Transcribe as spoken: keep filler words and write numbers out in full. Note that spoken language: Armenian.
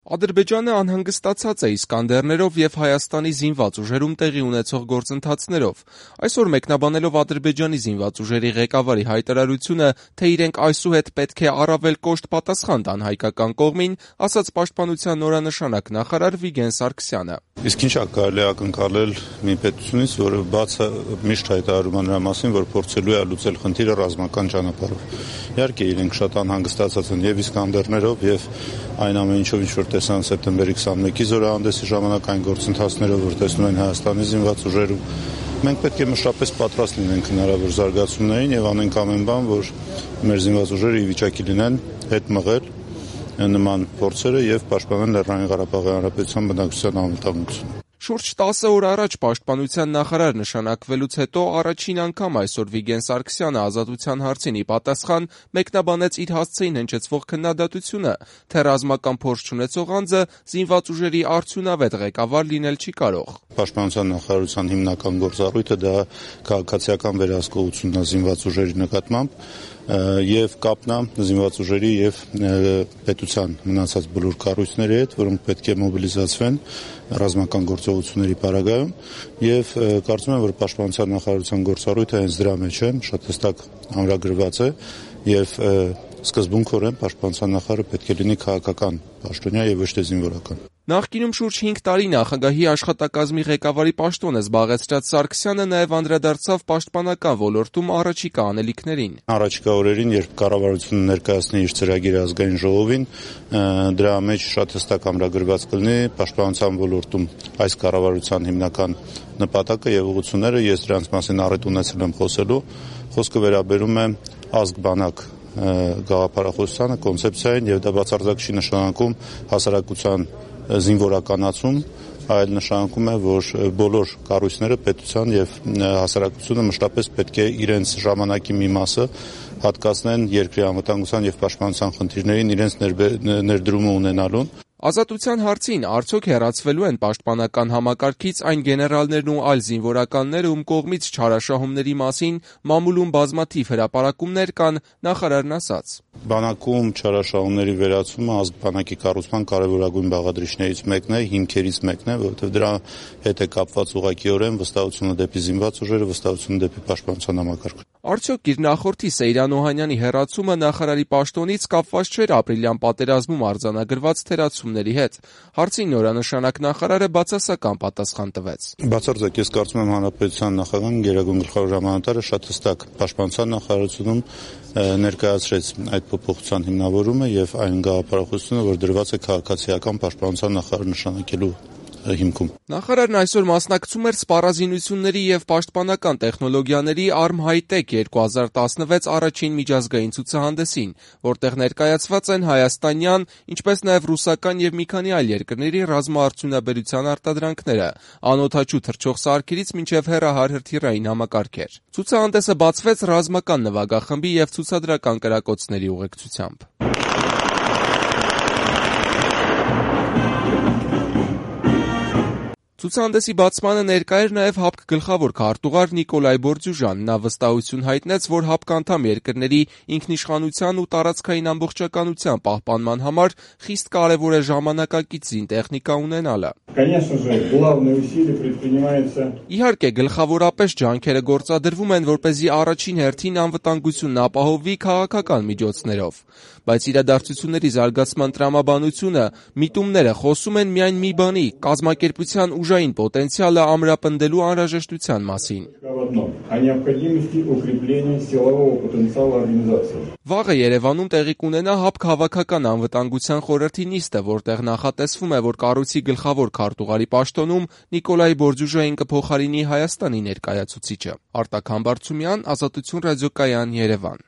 Ադրբեջանը անհանգստացած է Իսկանդերներով և Հայաստանի զինված ուժերում տեղի ունեցող գործընթացներով։ Այսօր մեկնաբանելով Ադրբեջանի զինված ուժերի ղեկավարի հայտարարությունը, թե իրենք այսուհետ պետք է առավել կոշտ պատասխան տան հայկական կողմին, ասաց Պաշտպանության նորանշանակ նախարար Վիգեն Սարգսյանը։ Իսկ ինչա կարելի ակնկալել մի պետությունից, որը բացը միշտ հայտարարում է նրա մասին, որ փորձելու է լուծել խնդիրը ռազմական ճանապարհով։ Իհարկե իրենք շատ անհանգստացած են եւ Իսկանդերներով եւ այն ամեն ինչով, ինչ որ տեսան սեպտեմբերի քսանմեկի զորահանդեսի ժամանակ այն գործընթացներով, որ տեսնում են Հայաստանի զինված ուժերում, մենք պետք է մշտապես պատրաստ լինենք հնարավոր զարգացումներին եւ անենք ամեն բան, որ մեր զինված ուժերը ի վիճակի լինեն հետ մղել նման փորձերը եւ պաշտպանել Լեռնային Ղարաբաղի Հանրապետության բնակչության անվտանգությունը։ Շուրջ տասը օր առաջ Պաշտպանության նախարար նշանակվելուց հետո առաջին անգամ այսօր Վիգեն Սարգսյանը Ազատության հարցին ի պատասխան մեկնաբանեց իր հասցեին հնչեցվող քննադատությունը, թե ռազմական փորձ չունեցող անձը զինված ուժերի արդյունավետ ղեկավար լինել չի կարող։ Պաշտպանության նախարարության հիմնական գործառույթը դա քաղաքացիական վերահսկողությունն է զինված ուժերի նկատմամբ եւ կապն է զինված ուժերի եւ պետության մնացած բոլոր կառույցների հետ, որոնք պետք է մոբիլիզացվեն ռազմական գործողությունների պարագայում եւ կարծում եմ, որ Պաշտպանության նախարարության գործառույթը հենց դրա մեջ է, շատ հստակ ամրագրված է եւ սկզբունքորեն Պաշտպանության նախարարը պետք է լինի քաղաքական պաշտոնյա եւ ոչ թե զինվորական։ Նախկինում շուրջ հինգ տարի նախագահի աշխատակազմի ղեկավարի պաշտոնը զբաղեցրած Սարգսյանը նաև անդրադարձավ պաշտպանական ոլորտում առաջիկա անելիքներին։ Առաջիկա օրերին, երբ կառավարությունը ներկայացնի իր ծրագիրը ազգային ժողովին, դրա մեջ շատ հստակ ամրագրված կլինի պաշտպանության ոլորտում այս կառավարության հիմնական նպատակը եւ ուղղությունները, ես դրանց մասին առիթ ունեցել եմ խոսելու, խոսքը վերաբերում է ազգ-բանակ գաղափարախոսությանը, կոնցեպցիային եւ դա բացարձակ չի նշանակում հասարակության զինվորականացում, այլ նշանակում է, որ բոլոր կառույցները պետության եւ հասարակությունը մշտապես պետք է իրենց ժամանակի մի մասը հատկացնեն երկրի անվտանգության եւ պաշտպանության խնդիրներին իրենց ներդրումը ունենալուն։ Ազատության հարցին արդյոք հեռացվելու են պաշտպանական համակարգից այն գեներալներն ու այլ զինվորականները, ում կողմից չարաշահումների մասին մամուլում բազմաթիվ հրապարակումներ կան, նախարարն ասաց. Բանակում չարաշահումների վերացումը ազգ-բանակի կառուցման կարևորագույն բաղադրիչներից մեկն է, հիմքերից մեկն է, որովհետև դրա հետ է կապված ուղղակիորեն վստահությունը դեպի զինված ուժերը, վստահությունը դեպի պաշտպանության համակարգը։ Արդյոք իր նախորդի Սեյրան Օհանյանի հեռացումը նախարարի պաշտոնից կապված չէր ապրիլյան պատերազմում արձանագրված թերացումների հետ։ Հարցին նորանշանակ նախարարը բացասական պատասխան տվեց։ Բացարձակ ես կարծում եմ հանրապետության նախագահն գերագույն գլխավոր հրամանատարը շատ հստակ պաշտպանության նախարարությունում ներկայացրեց այդ փոփոխության հիմնավորումը եւ այն գաղափարախոսությունը, որ դրված է քաղաքացիական պաշտպանության նախարար նշանակելու հիմքում։ Նախարարն այսօր մասնակցում էր սպառազինությունների եւ պաշտպանական տեխնոլոգիաների Արմ-Հայ-Տեք երկու հազար տասնվեց առաջին միջազգային ցուցահանդեսին, որտեղ ներկայացված են հայաստանյան, ինչպես նաեւ ռուսական եւ մի քանի այլ երկրների ռազմաարդյունաբերության արտադրանքները, անօդաչու թռչող սարքերից մինչեւ հեռահար հրթիռային համակարգեր։ Ցուցահանդեսը բացվեց ռազմական նվագախմբի եւ ցուցադրական կրակոցների ուղեկցությամբ։ Ցուցահանդեսի բացմանը ներկա էր նաև ՀԱՊԿ գլխավոր քարտուղար Նիկոլայ Բորդյուժան։ Նա վստահություն հայտնեց, որ ՀԱՊԿ անդամ երկրների ինքնիշխանության ու տարածքային ամբողջականության պահպանման համար խիստ կարևոր է ժամանակակից զինտեխնիկա ունենալը։ Իհարկե, գլխավորապես ջանքերը գործադրվում են, որպեսզի առաջին հերթին անվտանգությունն ապահովվի քաղաքական միջոցներով, բայց իրադարձությունների զարգացման տրամաբանությունը, միտումները խոսում են միայն մի բանի՝ կազմակերպության ուժային պոտենցիալը ամրապնդելու անհրաժեշտության մասին։ Վաղը Երևանում տեղի կունենա ՀԱՊԿ հավաքական անվտանգության խորհրդի նիստը, որտեղ նախատեսվում է, որ կառույցի գլխավոր քարտուղարի պաշտոնում Նիկոլայ Բորդյուժային կփոխարինի Հայաստանի ներկայացուցիչը։ Արտակ Համբարձումյան, Ազատություն ռադիոկայան, Երևան։